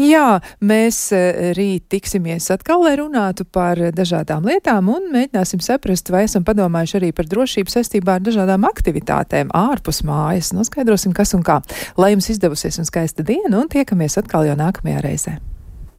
Jā, mēs rīt tiksimies atkal, lai runātu par dažādām lietām un mēģināsim saprast, vai esam padomājuši arī par drošību saistībā ar dažādām aktivitātēm ārpus mājas. Noskaidrosim, kas un kā. Lai jums izdevusies un skaista diena un tiekamies atkal jau nākamajā reizē.